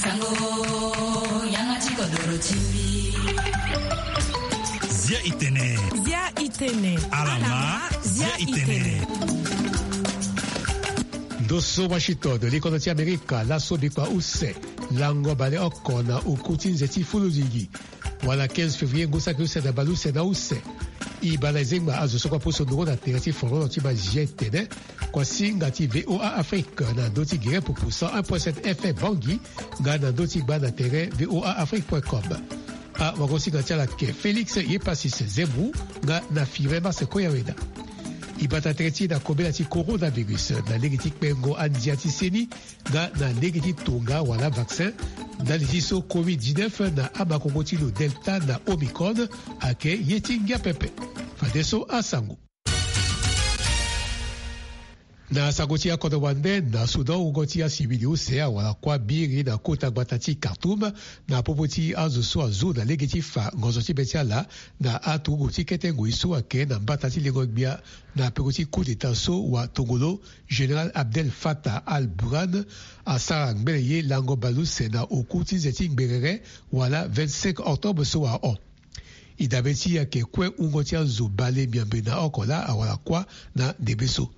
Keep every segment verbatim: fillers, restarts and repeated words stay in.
Sango, yanga ti kodoro ti mbi. Zia itene. Zia itene. Alama, zia itene. Ndo so Washington, likondo ti Amerika, laso bikua use, lango baleoko na oku ti nze ti fulu ligi. Wala quinze février ngu saki use na baleuse na use. E baa na e zengba azo so kue apusu ndungo na tere ti fololo ti mazia etene. Kuasinga ti V O A Afrique na ndö ti gere pupu cent un point sept F M Bangui, nga na ndö ti gba na tere V O A Afrique point com. Awagosinga ti ala ayeke Félix Yepasis Zebou, nga na Firmin Marse Koyaweda. E bata tere ti e na kobela ti coronavirus na lege ti kpengo andia ti seni, nga na lege ti tonga wala vaccin, ndali ti so covid dix-neuf na amakongo ti lo Delta na Omicron ayeke ye ti ngia pepe. Fadeso asango. Na sango ti akodro wande, na Soudan, wungo ti asivili use awara kuâ biri na kota gbata ti Khartoum, na popo ti azo so azu na lege ti fa ngonzo ti be ti ala na aturugu ti kete ngoi so ayeke na mbata ti lengo gbia na peko ti coup d'État so watongolo, Général Abdel Fattah al-Burhan, asara ngbene ye lango baleuse na oku ti nze ti ngberere, wala vingt-cinq octobre so ahon. E dabe ti e ayeke kue wungo ti azo bale miombe na oko laa awara kuâ na ndembe so.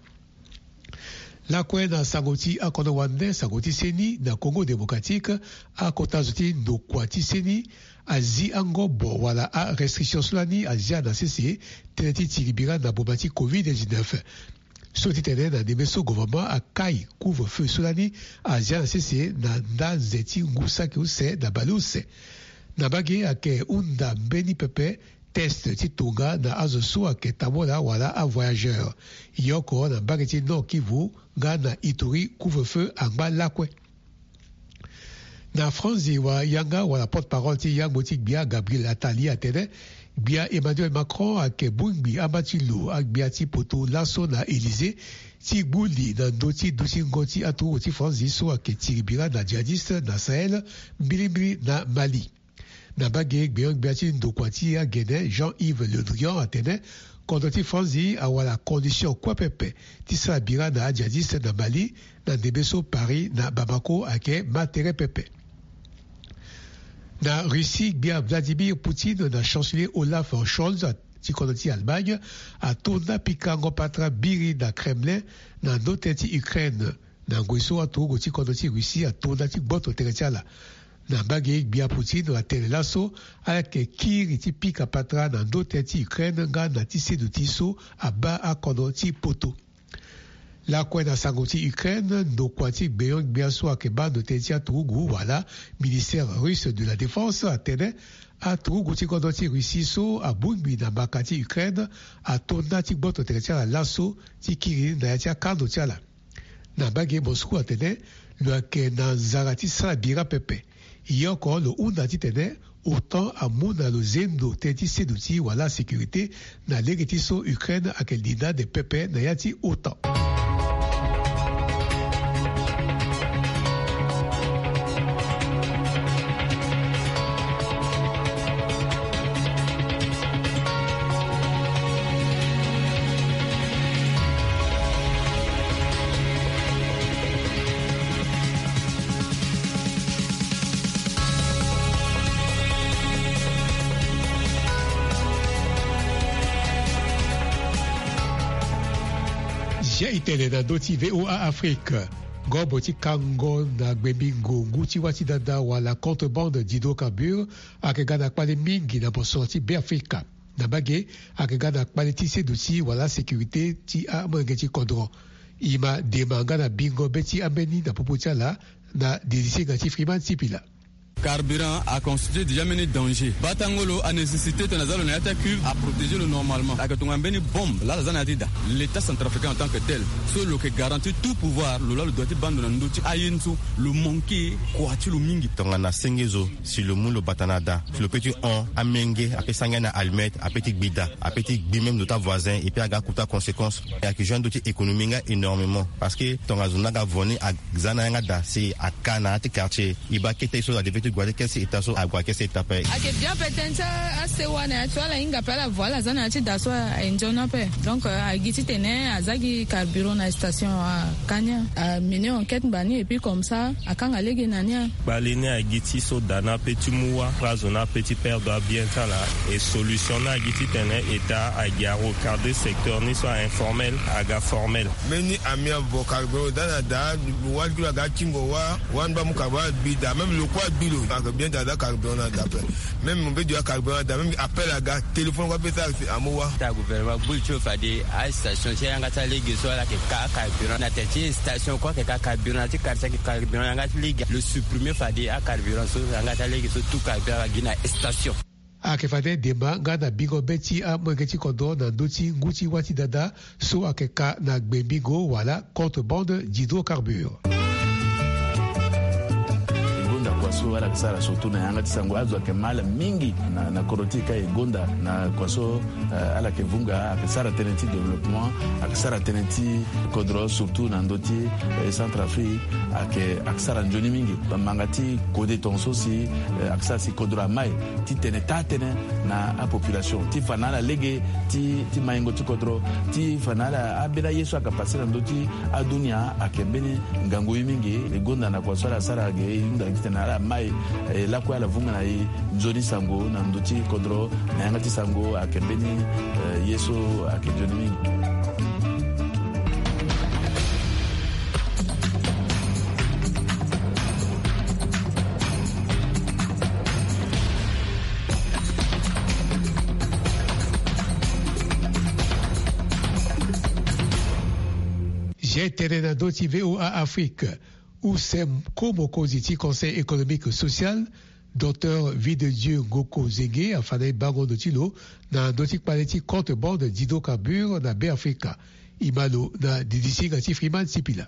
Lakue na sango ti akodro wande, sango ti seni na Congo Démocratique, akota zo ti ndokua ti seni azi angobo wala arestriction so lani azia na sese tënë ti tiri bira na boma ti covid dix-neuf. So ti tene na ndembe so gouvernement akai couvre-feu so lani azia na sese na nda nze ti ngu saki use na baleuse. Na mbage ayeke hunda mbeni pepe test ti tonga na azo so ayeke tambula wala avoyageur. E oko na mbage ti Nord Kivu nga na Ituri couvre-feu angba lakue. Na franzi wa yanga wala porte-parole ti yangbo ti gbia Gabriel Attali atene, gbia Emmanuel Macron ayeke bongbi amba ti lo agbia ti poto laso na Élysée ti gbu li na ndö ti dutingo ti aturugu ti franzi so ayeke tiri bira na djihadiste na Sahel, mbilimbili na Mali. Na mbage gbenyo-gbia ti ndokua ti agene Jean-Yves Le Drian atene, kodro ti franzi awara condition kue pepe ti sara bira na adjihadiste na Mali, na ndembe so Paris na Bamako ayeke ma tere pepe. Na Russie, gbia Vladimir Poutine na chancelier Olaf Scholz ti kodro ti Allemagne atonda pikango patara biri na Kremlin na ndö tënë ti Ukraine. Na ngoi so aturugu ti kodro ti Russie atonda ti gboto tere ti ala. Na mbage gbia Poutine atene laso ala yeke kiri ti pika patara na ndö tënë ti Ukraine nga na ti seduti so abaa akodro ti poto. Lakue na sango ti Ukraine, ndokua ti gbenyo-gbia so ayeke baa ndo tënë ti aturugu wala ministère russe de la défense atene, aturugu ti kodro ti Russie so abongbi na mbaka ti Ukraine atonda ti gboto tere ti ala laso ti kiri na ya ti akando ti ala. Na mbage Moscou atene lo yeke na nzara ti sara bira pepe. E oko lo hunda titene OTAN amu na lo zendo tënë ti seduti wala sécurité na lege ti so Ukraine ayeke linda ande pepe na ya ti OTAN. Zia itene na ndö ti V O A Afrique. Ngobo ti kango na gbe mbingo ngu ti wâ ti dada wala contrebande d'hydrocarbures ayeke ga na kpale mingi na mosoro ti Beafrika. Na mbage ayeke ga na kpale ti seduti wala sécurité ti amolenge ti kodro. E ma dema nga na bingo be ti ambeni na popo ti ala na dirisinga ti Freeman Sipila. Carburant a constitué déjà mbeni danger. Batangolo a nécessité tena aza lo na ya ti acuve a protéger lo normalement. Ayeke tongana mbeni bombe laa lo aza na ya ti da. L'État centrafricain en tant que tel, so lo yeke garanti tout pouvoir lo laa lo doit ti baa ndo na ndö ti aye ni so lo manqué kua ti lo mingi. Tongana senge zo, si lo mu lo bata na da, si lo peut ti hon amenge, ape sanga na allumette, ape ti gbi da, ape ti gbi même ndo ti avoisin, et puis aga akuta conséquence. Ayeke joué na ndö ti économie nga énormément, parce que tongana zo ni aga vo ni aza na yanga da, si aka na ya ti quartier, e baa kete ye so adevait ti Gue ni kese eta so ague kese eta pe. Ake bia pe tënë ti asewa na ya ti ala hinga pe ala vo ala za na ya ti da so aye nzoni ape. Donc euh, agi titene aza gi carburant na station akania, amene enquête ngba ni et puis comme ça akanga lege na ni. Kpale ni agi ti so da ni ape ti mu wa, prazo ni ape ti perdre abien ti ala. Et solution ni agi titene eta agi arecadrer secteur ni so a informel aga formel. Mbeni ami avo carburant da na da. Wali kilo aga atingo wa. Wani ba mu carburant agbi da, même lo kue agbi lo. Ake bien da da carburant na da pe. Même mo be du acarburant da, même appel aga téléphone kue ape sara si amu wa. Ta gouvernement gbu li ti lo fade astation ti ayanga ti alege so ala yeke ka acarburant na tere ti station kue ayeke ka carburant na ti quartier ayeke carburant yanga ti lege lo supprimer fade acarburant so yanga ti alege so tout carburant ala gi na station. Ayeke fade dema nga na bingo be ti amolenge ti kodro na ndö ti ngu ti wâ ti dada so ayeke ka na gbe mbingo wala contre bande d'hydrocarbure. E gonda kua so ala yeke sara surtout na yanga ti sango azo ayeke ma ala mingi na, na kodro ti e ka e gonda na kua so. Eh, ala yeke vunga ayeke sara tënë ti développement, ayeke sara tënë ti kodro surtout na ndö ti eh, Centrafrique. Ayeke ayeke sara nzoni mingi. Manga ti kode tongaso si eh, ayeke sara si kodro amai titene taa tënë na apopulation ti fa na ala lege ti, ti maingo ti kodro ti fa na ala ambeni aye so ayeke pase na ndö ti adunia ayeke mbeni ngangu ye mingi. E gonda na kua so ala sara ge e hunda titene ala mai eh, lakue ala vunga na e nzoni sango na ndö ti kodro na yanga ti sango ayeke mbeni eh, ye so ayeke nzoni mingi. Zia tene na ndö ti VOA Afrique. Use ko mokonzi ti Conseil économique social, Docteur Videdieu Ngoko Zenge afa na e bango ndo ti lo na ndö ti kpale ti contre bande d'hydrocarbure na Beafrika. E ma lo na didisinga ti Freeman Sipila.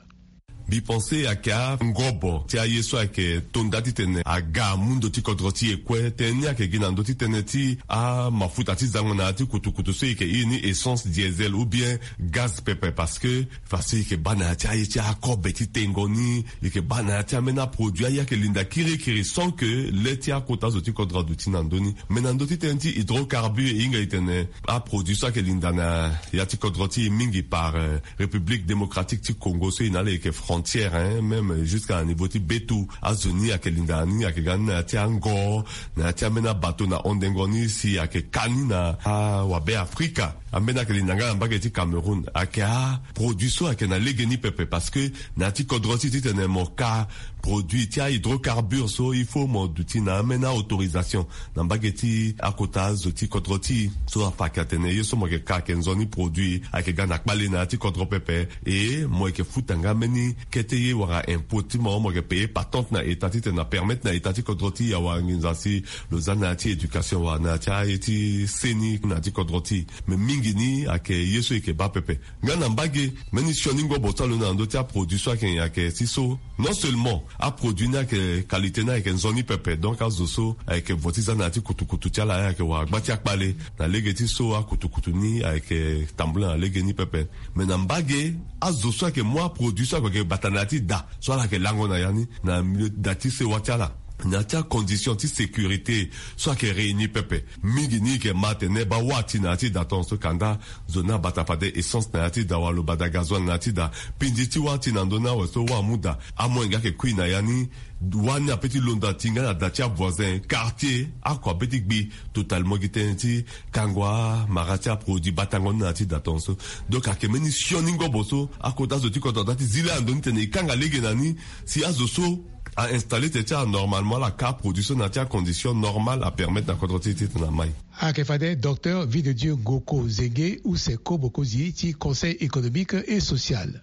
Mbi pense ayeke angobo ti aye so ayeke tonda titene aga amu ndo ti kodro ti e kue. Tënë ni ayeke gi na ndö ti tënë ti amafuta ti zango na ya ti kutukutu so e yeke iri ni essence, diesel ou bien gaz pepe, parce que façon e yeke baa na ya ti aye ti akobe ti tengo ni, e yeke baa na ya ti ambeni aproduit aye ayeke linda kirikiri sans que le ti akota zo ti kodro aduti na ndö ni. Mais na ndö ti tënë ti hydrocarbure e hinga e tene aproduit so ayeke linda na ya ti kodro ti e mingi par eh, République démocratique ti Congo so e na ala e yeke frontière hein, même jusqu'à na niveau ti betu. Azo ni ayeke linda ni ayeke ga ni na ya ti ango, na ya ti ambeni abato na hondengo ni si ayeke ka ni na awabe Afrika. Ambeni ayeke linda nga na mbage ti Cameroun. Ayeke aproduit so ayeke na lege ni pepe parce que na ya ti kodro ti e titene mo ka produit ti ahydrocarbure so il faut mo duti na ambeni autorisation na mbage ti akota zo ti kodro ti e. So afa ayeke atene ye so mo yeke ka ayeke nzoni produit ayeke ga na kpale na ya ti kodro pepe. E mo yeke futa nga mbeni kete ye wala impôt ti mo, mo yeke payer patente na état titene apermettre na état ti kodro ti e awara nginza si lo za na ya ti éducation wala na ya ti aye ti seni na ya ti kodro ti e. Mais mingi ni ayeke ye so e yeke baa pepe. Nga na mbage mbeni sioni ngobo so alondo na ndö ti aproduit so ayeke nyen? Ayeke si so non seulement aproduit ni ayeke qualité ni ayeke nzoni pepe, donc azo so ayeke vo ti za na ya ti kutukutu ti ala ayeke wara gba ti akpale. Na lege ti so akutukutu ni ayeke tambula na lege ni pepe. Mais na mbage azo so ayeke mu aproduit so ayeke bata na ya ti da so ala yeke lango na ya ni na milieu da ti sewa ti ala, na ya ti acondition ti sécurité so ayeke réunir pepe. Mingi ni e yeke ma atene baa wâ ati na ya ti da tongaso kanda zo ni abata fade essence na ya ti da wala lo bata gazoil na ya ti da. Pindi ti wâ ati na ndö ni awe so wâ amu da, amolenge ayeke kui na ya ni. Wâ ni ape ti londo ati nga na da ti avoisin, quartier, ako ape ti gbi totalement gi tënë ti kango amara ti aproduit batango ni na ya ti da tongaso. Donc ayeke mbeni sioni ngobo so akota zo ti kodro da ti zi laa na ndö ni tene e kanga lege na ni si azo so a installer tene ti ala normalement ala ka aproduit so na ya ti acondition normale apermettre na kodro ti e titene amai. Ayeke fade Docteur Videdieu Ngoko Zenge use ko mokonzi ti Conseil économique et social.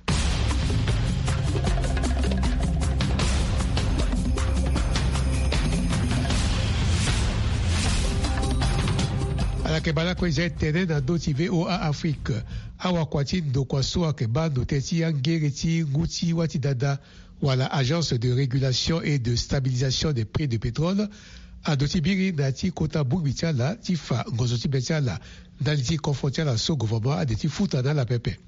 Ala yeke baa lakue zia tene na ndö ti VOA Afrique. Awakua ti ndokua so ayeke baa ndo tënë ti angere ti ngu ti wâ ti dada wala Agence de régulation et de stabilisation des prix de pétrole aduti biri na ya ti kota bongbi ti ala ti fa ngonzo ti be ti ala ndali ti confort ti ala so gouvernement ade ti futa na ala pepe.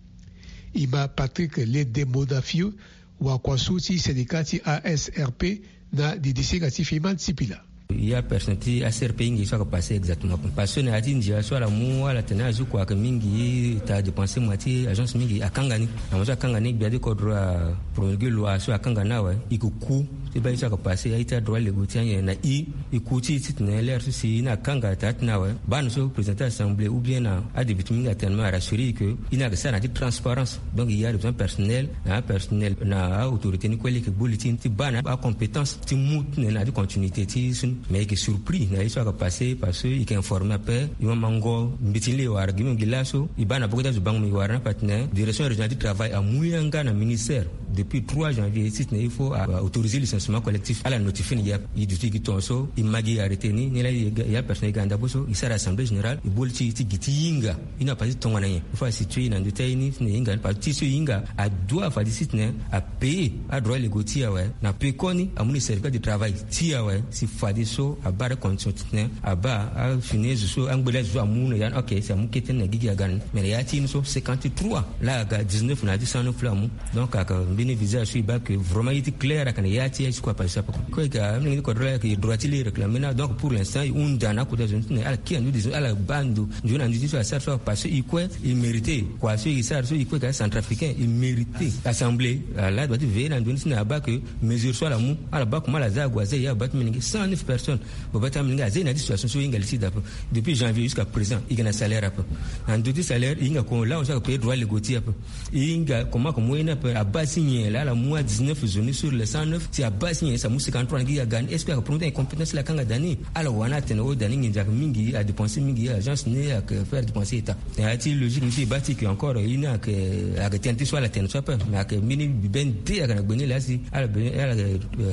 E ma Patrick Ledemonafiu, wakua so ti syndicat ti ASRP, Na didi singa ti fima ti pila. Ya personne ti A C R P hinga ye so ayeke passé exactement, parce que na ya ti ndia so ala mu ala tene azo kua ayeke mingi, ta dépenser moi ti agence mingi akanga ni. Na mo so akanga ni gbia ti kodro apromulgué loi so akanga ni awe. E ke ku ti baa ye so ayeke passé aye ti adroit légaux ti anyen na e. E ku ti e titene lere so si e ni akanga taa ti ni awe, baa na so président ti assemblée ou bien na adéputé mingi atene me arassurer e ke e ni ayeke sara na ya ti transparence. Donc e ya besoin personnel na apersonnel na aautorité ni kue leke gbu li ti e ni ti baa na acompétence ti mu titene na ya ti continuité ti e so ni. Mais e yeke surpris na ye so ayeke passé, parce que e yeke informé ape. E ma mango mbeti ni laa e wara gi mingi laso e baa na poko ti azo bango mo e wara ni ape atene direction régionale ti travail amu yanga na ministère depuis trois janvier titene il faut autoriser licenciement collectif, ala notifié ni gi ape. E duti gi tongaso e ma gi arrêté ni ni laa e ya personne e ga na ndapre so e sara assemblée générale e boli ti e ti gi ti hinga. E na pasi tongana nyen? Il faut asituer na ndö ti aye ni titene e hinga ni, parce que ti so e hinga adoit fade titene apayer adroit légaux ti e awe. Na peko ni amu ni certificat de travail ti e awe, si fadeso abaa condition titene abaa afini zo so angbe laa zo so amu na ya ni. Ok, si amu kete ni na gigi aga na ni. Mais na ya ti e ni so cinquante-trois laa aga dix-neuf na ya ti cent neuf laa amu. Donc ayeke mbeni visage so e baa ke vraiment ye ti clair ayeke na ya ti e aye ti kue apassé so ape. Kue ayeke amolenge ti kodro laa ayeke droit ti laa e réclamer ni. Donc pour l'instant e hunda na akota zo ni titene ala kiri na ndö ti zo ni ala baa ndo nzoni na ndö ti so asara so apassé so e kue e mérité. Kua so e sara so e kue ayeke acentrafricain e mérité. Assemblée ala droit ti veiller na ndo ni titene abaa ke mesure so ala mu ala baa comment ala za ague aza e abaa ti molenge cent neuf personnes. Baba ti amolenge aza e na ya ti situation so e hinga li ti da ape. Depuis janvier jusqu'à présent e yeke na salaire ape. Na ndö ti salaire e hinga kongo lawa so ayeke payer droit légaux ti e ape. E hinga comment ayeke mu ye ni ape, abaa si nyen laa ala mu a dix-neuf zo ni sur les cent neuf, si abaa si nyen si amu cinquante-trois na gi aga ni? Est-ce que ayeke promettre incompétence laa akanga da ni? Ala wani atene o da ni nginza ayeke mingi, adépenser mingi agence ni ayeke faire dépenser état. Na ya ti logique ni so e baa ti ke encore ye ni ayeke ayeke tënë ti so ala tene so ape. Mais ayeke mbeni bibe nde ayeke na gbe ni laa si ala be ala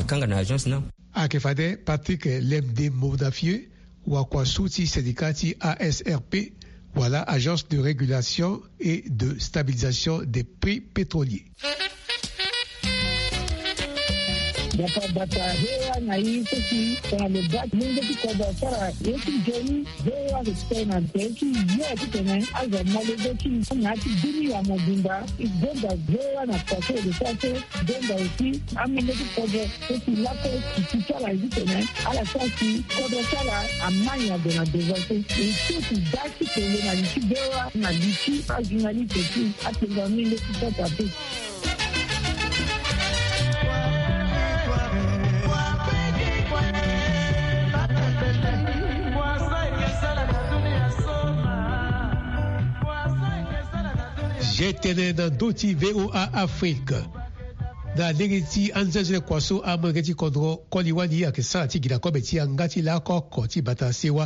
kanga na agence ni. Ayeke fade Patrick Lemde Modafieux, wakua so ti syndicat ti A S R P, wala Agence de Régulation et de Stabilisation des Prix Pétroliers. Bata bata, V O A na i so si tongana lo baa ti mungo ti kodro asara ye ti nzoni. V O A lo ti tene na tere ti ye titene azo amolenge ti na ya ti bini ya mobimba. E gonda V O A na kua so e lo sara so. Donda aussi amolenge ti kodro so si lako ti ti ti ala ye titene ala sara si kodro ti ala amai na gue na devant so. E so si da ti tene na li ti V O A na li ti ajournaliste ti atenga amolenge ti kota te. Zia tënë na ndö ti V O A Afrique. Na lege ti anzenze kua so amolenge ti kodro koli wali ayeke sara ti gi na kobe ti yanga ti laoko oko ti bata sewa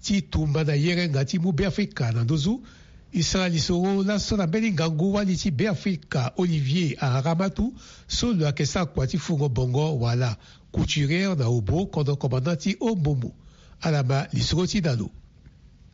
ti tumba na yerenga ti mu Beafrika na nduzu. E sara lisoro laso na mbeni ngangu wali ti Beafrika Olivier Aharamatu so lo yeke sara kua ti fungo bongo wala couturière na Obo, kodro commandant ti Ombomo. Ala ma lisoro ti na lo.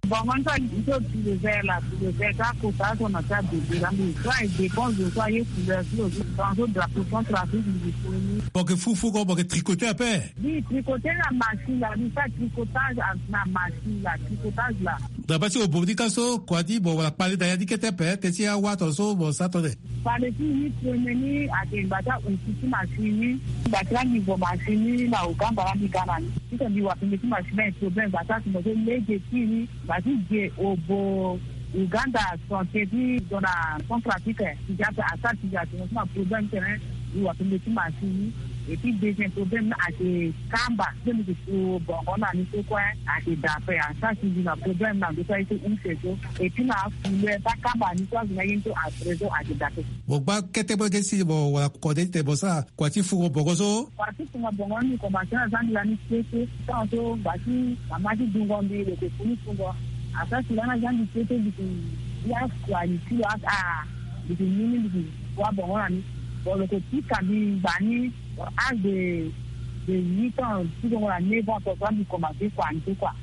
Bon, mon frère, il faut tu le verre là, tu le verre, ça, faut ça, ça, on a ça, de, de, la, mais ça, il dépend de ça, il est couleur, sur le, dans le drapeau, contre la vie, il est connu. Bon, que fou, fou, bon, que tricoter un peu. Oui, tricoter la machine, là, oui, ça, tricotage, ah, la machine, là, tricotage, là. Dans le passé, au bout du cas, so, quoi, dit, bon, voilà, parler d'ailleurs, dit que t'es père, t'es si à Watt, so, bon, ça, t'en es. Parler, si, oui, premier, à des bata, ou si, si, machine, oui, bata, niveau machine, là, au camp, voilà, mi gana, ni. Si, t'as dit, ouais, mais si, machine, un problème, bata, si, moi, je l'ai, j'ai fini. Bati je Obo Uganda, son teti dona Centrafrique. Ti ja pe asara ti ja ti na problème tene. Iwa pe mbeti machine. Et puis deuxième problème na ake kamba. Pe mbeti bongo na ni so kue ake dape. Asara ti na problème na ndo so aye so use so. Et puis na fule pa kamba ni so azo na ye ni so à présent ake dape. Bon, gba kete bo ge si bo wala kode ti tene bo sara kua ti fungo bongo so. Kua ti fungo bongo ni, komanse na zani lani kete. Tant so mba ti mama ti dungo mbi lo yeke fini fungo. Asara si lani aza mbi kete mbi yeke ya kua ni ti lo aka. Mbi yeke ni ni mbi yeke wa bongo na ni. Bon lo yeke pika mbi ngba ni. Bon, âge de de huit ans ti dungo na neuf ans so mbi komanse kua ni so kua.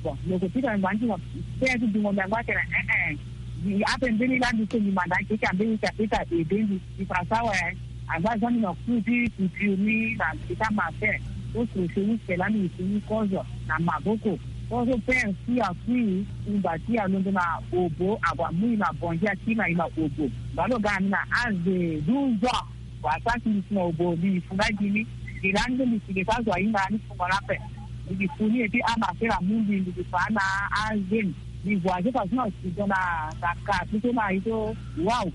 Bon lo yeke pika mbi ngba ni ti mo. Pere ti dungo mbi angba atene eh eh. Ape mbeni laa mbi so mbi manda akeke ambeni ti apeta ede mbi. Mbi fa so awe. Angba aza mbi na cours ti couture ni na mbi ti amatin. So crochet ni sela mbi mbi ti ni kozo na maboko. Kozo père si akui. Mba ti alondo na Obo ague amu i na Bongi akiri na i na Obo. Mba lo ga na mbi na âge de douze ans. Wa sa si mbi si na Obo mbi fu na gi ni. Iri ande mbi si ke ka zo ahinga ni fungo na pe. Mbi ki fu ni eti ama sera mundi mbi ki fa na azeni. Mbi voyage façon na studio na kaka ti so na ito. Wow.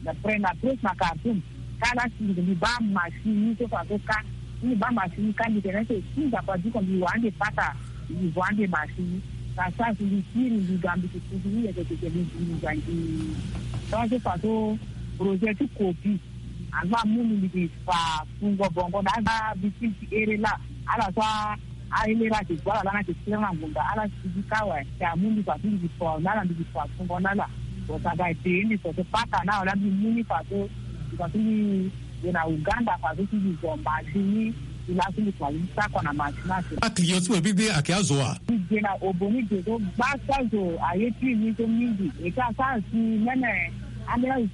Na pre na presse na Khartoum. Ka la si mbi ba machine ni so façon ka. Mbi ba machine ka mbi tene so si nda pa diko mbi wande pata. Mbi wande machine. Ka sa si mbi kiri mbi ga mbi ki fu ni yeke teke mbi mbi ga ngi. Donc so façon projet ti kopi. Aza mu ni mbi ki fa fungo bongo na aza bikin ti ere la. Ala so aele la ke gue ala la na ke tira na ngonda ala sigi ka awe. Ke amu mbi fa ti mbi ki fa na ala mbi ki fa fungo na ala. Bon sa ga ete mbi fa so paka na awe la mbi mu ni fa so mbi fa so mbi gue na Uganda fa so ti mbi zo machine ni. Mbi la so mbi kua ni sako na machine ase. Aclient ti mo bibiri ayeke azo wa. Mbi gue na obo ni gue so gba so azo aye ti ni so mingi. Eke asara si mene. Ande azo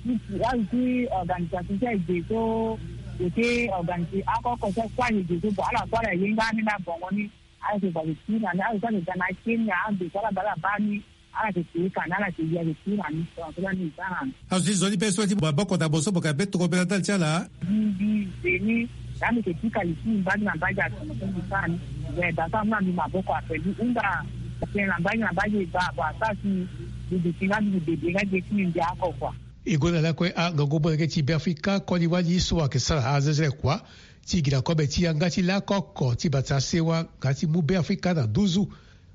ti organisation ti aye ge so. Eke organisé ako oko so kue aye ge so bon ala so ala ye nga ni na bongo ni. Ala yeke bale ti na ni ala so ayeke ga na Kenya ande so ala bale abaa ni. Ala yeke te ka ni ala yeke ye ayeke ti na ni so ala so la ni za na ni. Azo ti zo ni be so ti maboko na bo so mo yeke be tokobela ndali ti ala. Mbi mbi ze ni. Laa mbi yeke pika li ti mbi mbage na mbage atomo so mbi sara ni. Mbi yeke da so amu na mbi maboko ape mbi hunda. Tene na mbage na mbage e baa baa asara si mbi duti nga mbi bebe nga ge ti mbi mbi ako kua. E gue na lakue angangu molenge ti Beafrika koli wali so ayeke sara azezele kua ti gi na kobe ti yanga ti lakoko ti bata sewa nga ti mu Beafrika na nduzu.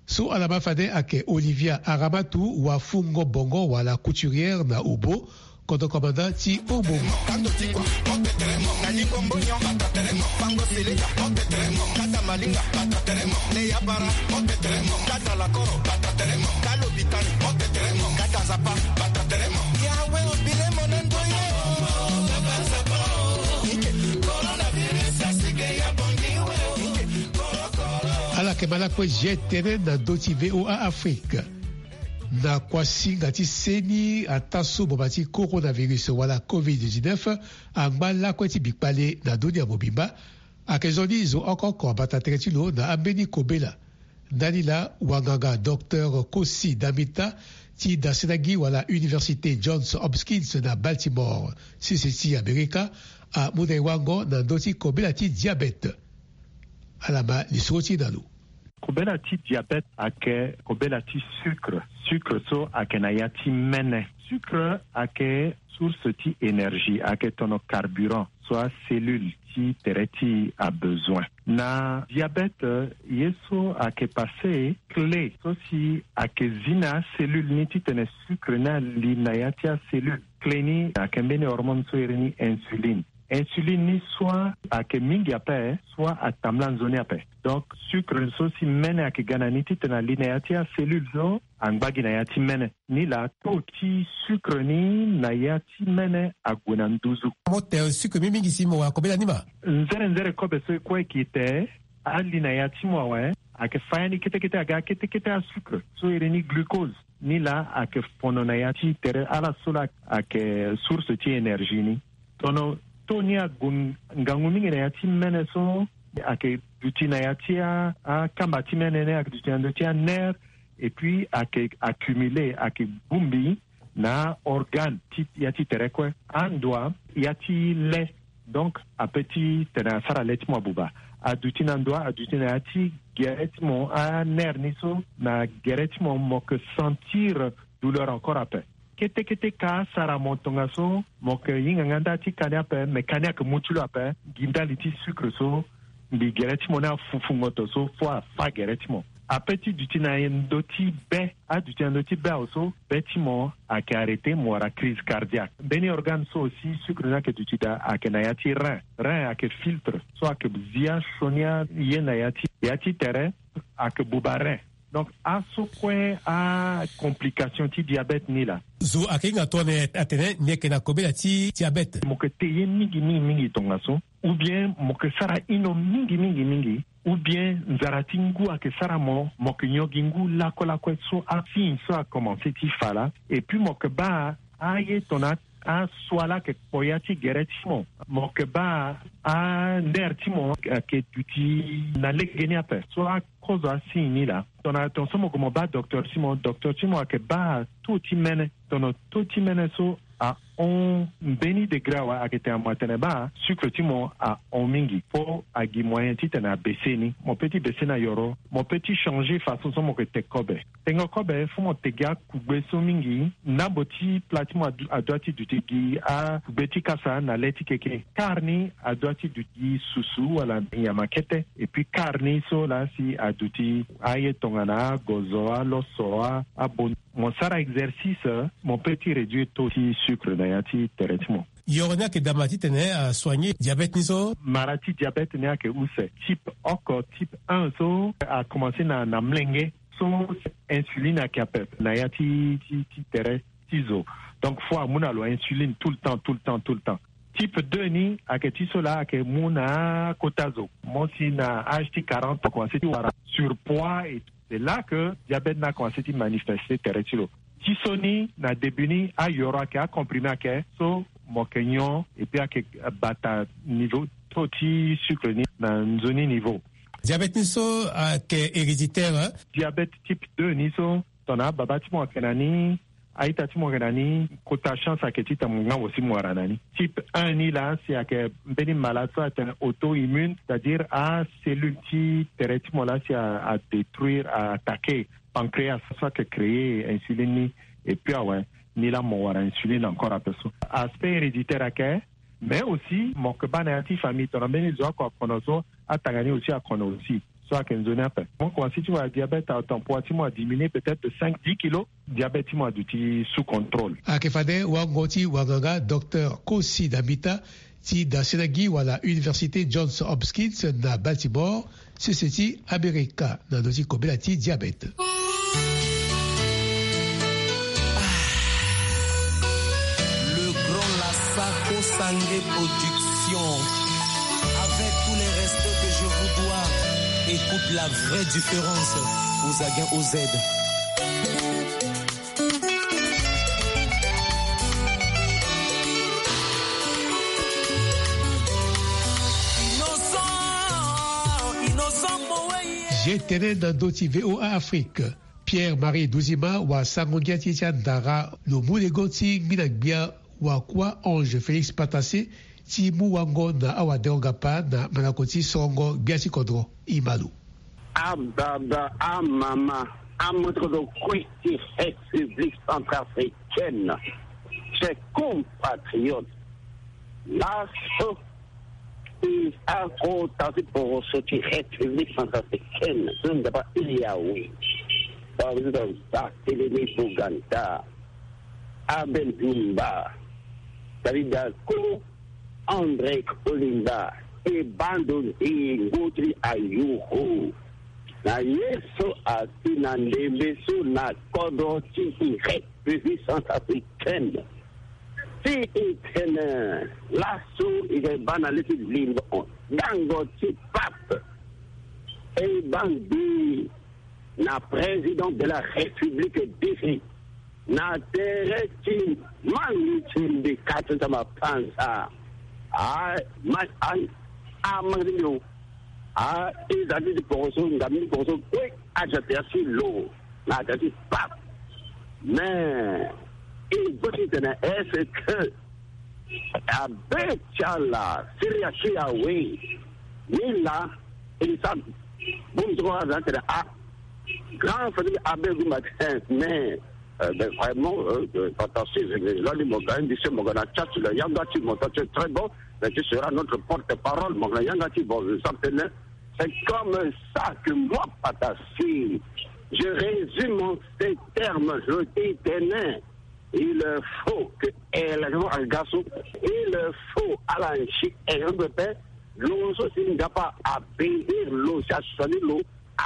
So ala ma fade ayeke Olivia Aramatu wa fungo bongo wala couturière na Obo, kodro komanda ti Obo. Ala yeke ma lakue G T N na ndö ti V O A Afrique. Na kuasinga ti seni ataa so boma ti coronavirus wala covid dix-neuf angba lakue ti bikpale na dunia mobimba. Ayeke zo ni zo oko oko abata tere ti lo na ambeni kobela. Ndani laa wanganga docteur Kosi Damita ti dasena gi wala Université Johns Hopkins na Baltimore, sese ti Amerika, amu na e wango na ndö ti kobela ti diabète. Ala ma lisoro ti e na lo. Kobela ti diabète ayeke kobela ti sucre. Sucre so ayeke na ya ti mene. Sucre ayeke source ti énergie, ayeke tono carburant so acellule ti tere ti e abezoin. Na diabète ye so ayeke passé clé so si ayeke zi na acellule ni titene sucre ni ali na ya ti acellule. Clé ni ayeke mbeni hormone so iri ni insuline. Insuline ni soit ayeke mingi ape, soit atambula nzoni ape. Donc sucre so si mene ayeke ga na ni titene ali na ya ti acellule so angba gi na ya ti mene. Ni laa taux ti sucre ni na ya ti mene ague na nduzu. Mo te sucre mingi mingi si mo wara kobela ni ma. Nzere nzere kobe so e kue e ke te ali na ya ti mo awe. Ayeke fa ya ni kete kete aga kete kete asucre so iri ni glucose. Ni laa ayeke fono na ya ti tere ala so laa ayeke source ti énergie ni. Tono taux ni ague ngangu mingi na ya ti mene so ayeke duti na ya ti a, akamba ti mene ni ayeke duti na ndö ti anerf. Et puis ayeke accumulé, ayeke bongbi na aorgane ti ya ti tere kue. Andoa ya ti le. Donc ape ti tene asara le ti mo abuba. Aduti na ndoa, aduti na ya ti gere ti mo, anerf ni so na gere ti mo, mo yeke sentir douleur encore ape. Kete kete ka asara mo tongaso mo yeke hinga nga nda ti ka ni ape, me ka ni ayeke mu ti lo ape. Gi ndali ti sucre so mbi gere ti mo ni afufu ngoto so fo afa gere ti mo. Ape ti duti na ndö ti be, aduti na ndö ti be awe so be ti mo ayeke arrêté, mo wara crise cardiaque. Mbeni organe so aussi sucre ni ayeke duti daa ayeke na ya ti rein. Rein ayeke filtre so ayeke zi asioni aye na ya ti, ya ti tere ayeke buba rein. Donc aso kue acomplication ti diabète ni laa. Zo ayeke hinga tongana atene ni yeke na kobela ti diabète. Mo yeke te ye mingi mingi mingi tongaso. Ou bien mo yeke sara ino mingi mingi mingi. Ou bien nzara ti ngu ayeke sara mo, mo yeke nyon gi ngu lakue lakue so asigne so akomanse ti fa laa. Et puis mo yeke baa aye tongana aso ala yeke kpo ya ti gere ti mo. Mo yeke baa anerf ti mo ayeke duti na legeni ape. So akozo asigne ni laa. Tongana tongaso mo gue mo baa docteur ti mo, docteur ti mo ayeke baa taux ti mene. Tono to ti mene so ahon mbeni degré awe, ayeke tene mo atene baa sucre ti mo ahon mingi. Fo agi moyen titene abese ni. Mo pe ti bese na yoro, mo pe ti changer façon so mo yeke te kobe. Tengo kobe fo mo te gi akugbe so mingi. Ndambo ti plat ti mo adu- adua ti duti gi akugbe ti kasa na le ti keke. Kar ni adua ti duti gi susu wala nyama kete. Et puis kar ni so laa si aduti aye tongana agozo, aloso, a- abon- Mo sara exercice, mo pe ti réduire taux ti sucre na ya ti tere ti mo. Yoro ni ayeke dama titene asoigner diabète ni so. Mara ti diabète ni ayeke use. Type oko, type un so akomanse na na mlenge. So insuline ayeke ape na ya ti ti ti tere ti zo. Donc fo amu na lo insuline tout le temps, tout le temps, tout le temps. Type deux ni ayeke ti so laa ayeke mu na akota zo. Mo si na âge ti quarante akomanse ti wara surpoids et c'est là que diabète ni akomanse ti manifester tere ti lo. Ti so ni na début ni ayoro ayeke, acomprimé ayeke, so mo yeke nyon et puis ayeke bata niveau taux ti sucre ni na nzoni niveau. Diabète ni so ayeke héréditaire, hein? Diabète type deux ni so tongana ababa ti mo ayeke na ni, a-ita ti mo ayeke na ni, kota chance ayeke titene mo ngangu si mo wara na ni. Type un ni laa si ayeke mbeni malade so atene auto-immune, c'est-à-dire acellule ti tere ti mo laa si a- adétruire, a- attaquer pancréas so ayeke créer insuline ni. Et puis awe, ni laa mo wara insuline encore ape so. Aspect héréditaire ayeke. Mais aussi mo yeke baa na ya ti famille tongana mbeni zo oko akono so, atanga ni aussi akono aussi. So ayeke nzoni ape. Mo komanse ti wara diabète, awe, ton poids ti mo adiminuer peut-être de cinq, dix kilos. Diabète ti mo aduti sous contrôle. Ayeke fade wango ti wanganga Docteur Kosi Dambita ti dasena gi wala Université Johns Hopkins na Baltimore, sese ti Amerika, na ndö ti kobela ti diabète. Le grand Lasako Sange Production. Avec tous les respects que je vous dois, écoute la vraie différence. Ozaguin O Z. Innocent, innocent, mo wei. Ye tene na ndö ti V O A Afrique. Pierre Marie Duzima wa sango ngia ti e ti andara lo mu lego ti ngbina gbia wa kuâ Ange Félix Patassé ti mu wango na awadengo-gapa na mandako ti sorongo gbia ti kodro. E ma lo. Ababa, amama, amoto kodro kue ti République centrafricaine, chers compatriotes, laso e akota ti poroso ti République centrafricaine so nzapa e awe. Président Barthélémy Boganda, Abel Bimba, David Dako, André Kolinda, e bando ndengo ti ayoro. Na ye so asi na ndembe so na kodro ti République centrafricaine. Ti e tene laso e yeke baa na le ti limbo dango ti pape. E baa mbi na président de la République défait na tere ti mangi ti mbi kati nzama panza. A ma a a mangi ti mbi o. A e za ti ti poroso nga mbi ti poroso kue aza tere ti lo na tere ti pape. Mais e gbo ti tene est-ce que abe ti ala Syria ti awe ni laa e sa bongbi ti kua aza tene a grand famille abe gumba tene mais euh, ben, vraiment euh, euh, fantastique. Lani mo ga indi se mo ga na chat la yanga ti mo ta très bon. Mais tu seras notre porte-parole mo ga na yanga ti bon je sens tene c'est comme ça que moi Patassé je résume en ces termes je dis tene il faut que élection aga so il faut ala nsi élection pepe lo so si nzapa abénir lo si asoni lo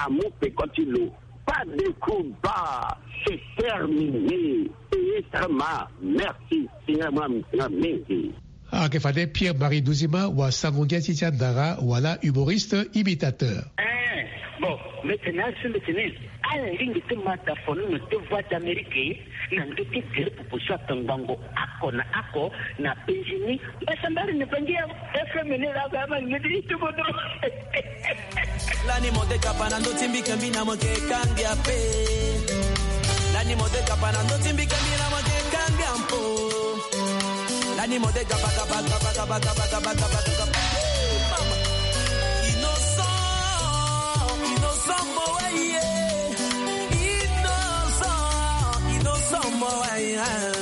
amu peko ti lo. Pas de combat, c'est terminé. Payé très mal. Merci. Singa mwa singa mingi. Ayeke fade Pierre Marie Duzima wa sango ngia ti ti andara wala humoriste imitateur. Eh, bon, mbeti na asu mbeti ni ala lingbi ti ma tafono na ti Voix d'Amérique na ndö ti gere popo so atongbango ako na ako na penzi ni. Mbasambari na bangi ya F M ni la ga ma ngidi itubodo. Lani mo de kapa na ndö ti mbi kembi na mo ke kangi ape. Lani mo de kapa na ndö ti mbi kembi na mo ke Biampo. Lani mode gaba, gaba, gaba, gaba, gaba, gaba, gaba, gaba. Mama. Innocent, innocent, mo, ouais, yeah. Innocent, innocent, mo, ouais, yeah.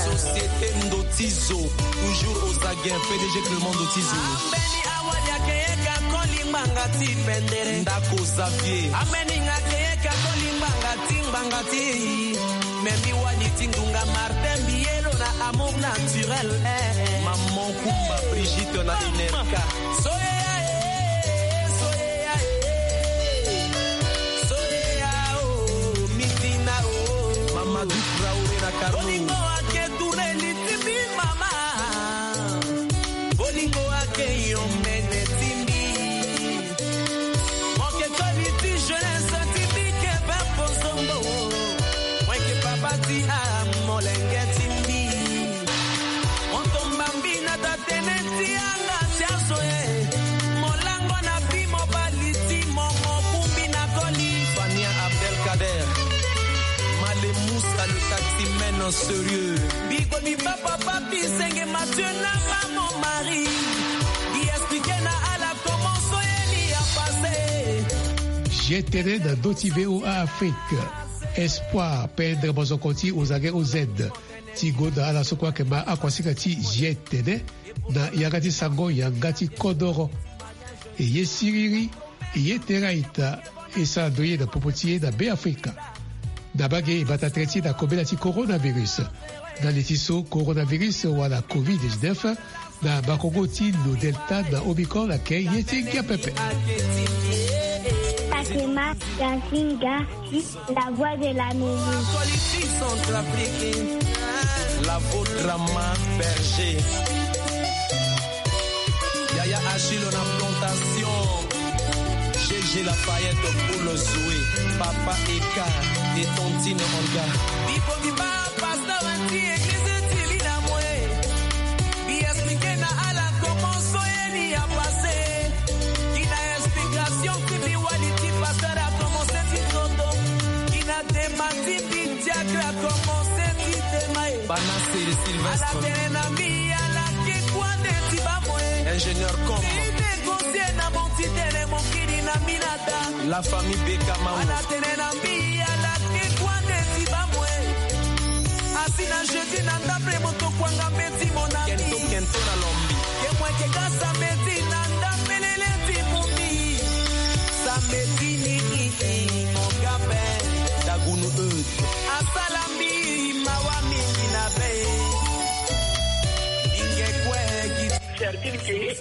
Société Ndotizo, toujours aux aguets, P D G Clément Ndotizo. Ambeni awali akeyeka kolimbanga ti pendere. Ndako Xavier. Ambeni nga keyeka kolimbanga ti ngbanga ti. Memi wani ti ngunga Martin Bielo na amour naturel, eh. Maman Kumba Brigitte na Inerka. Soyeya, eh, soyeya, eh. Soyeya, oh, mitina, oh. Mamadou Traoré na Carlo. Bolingo ake tourner litibi, mama. Bolingo ake yo mene timbi. Moke toli ti jeunesse ti mbi ke be pozongo. Weke papa ti a molenge ti mbi. Moto mbambi na tatene ti anga ti azo e. Molango na bi mobali ti mo mokumbi na koli. Fania Abdelkader. Malemousse à le taximène sérieux. Biko mi papa papi senge Mathieu na maman Marie. Di expliquer na ala comment soyeli a passé. Jetene na ndö ti V O A Afrique. Espoir pendre mozoko ti ozange O Z ti gonda ala so kue ayeke ma akuasinga ti jetene na yanga ti sango yanga ti kodoro. E ye siriri, e ye tere a-ita, e sara ndo ye na popo ti e na Beafrika. Na bage e bata tere ti e na kobela ti coronavirus. Na li ti so coronavirus wala covid dix-neuf na bakongo ti lo Delta na Omicron ayeke ye ti ngia pepe. Fatima Gazinga, la voix de l'Amérique. La voix Drama Berger. Yaya Achille na plantation. G G Lafayette, Paul Zoé, Papa Eka et Tantine Olga. Bibo biba. Pasteur ti église ti li na mo e. Bi expliquer na ala comment soyeni a passé. Ki na explication ti mbi wali ti pasteur a commencé ti toto. Ki na tema ti mbi diacre a commencé ti tema e. Bana Sylvestre. Ala tene na mbi ala ke kua nde ti ba mo e. Ingénieur com. Ti négocier na mo ti tene mo kiri na mbi na La famille Beka Mamu. Ala tene na mbi ala ke kua nde ti ba mo e. Asi na jeudi na ndapre mo tokuanga mbeti mo na mbi. Kento kento na lombi. Ke mo yeke ga samedi na ndapelele ti mo mbi. Samedi ni i i mo ga be. Dagunu e. Asala mbi mawa mingi na be. Inge kue gi. Certitude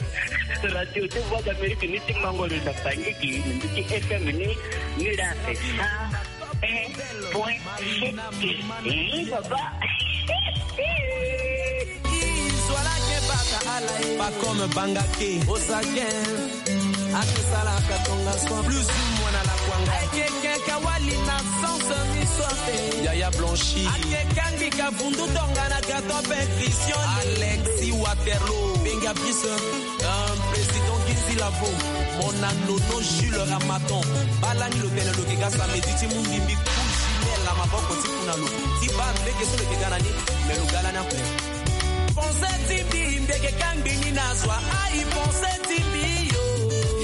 ke radio ti Voix d'Amérique ni ti mango lo na fangiki ni ti F M ni ni la sa un point sept. Eh, papa. Pas comme Bangake. Osagen. Ake salaka tonga soin. Plus ou moins na la kwanga. Ake keka wali na sens miso ape. Yaya Blanchi. Ake kangi ka vundu tonga na gato ape Christian. Alexis Waterloo. Benga Brise. Un président Ginzi Lavo. Mon annono Jules Ramaton. Balani lo tene lo ke ga samedi ti mu mbimbi ku Gilles na maboko ti kuna lo. Ti ba mbeke so lo ke ga na ni. Me lo ga lani ape. Pensée ti mbi mbi yeke kangbi ni na zo ayi pensée ti mbi yo.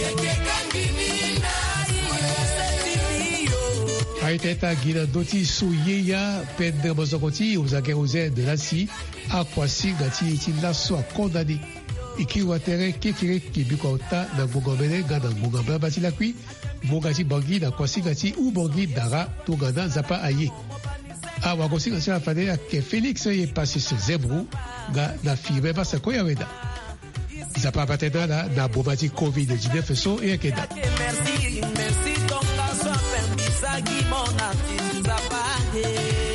Yeke kangbi ni na ayi pensée ti mbi yo. Aye teta gi na ndö ti so ye ya pendre mozoko ti ozange oze de la si akuasinga ti e ti laso akonda ni. E kiri wa tere kekereke biko aota na ngonga omene nga na ngonga mbamba ti lakui. Ngbonga ti Bangui na kuasinga ti Oubangui Dara tongana Nzapa aye. Awagosinga ti ala fade ayeke Félix ye Passis Zebro nga na Firmin Masako Yaweda. Nzapa abate na ala na boma ti covid dix-neuf so e yeke daa. Merci, merci, tongaso ape mbisaki mona ti Nzapa aye.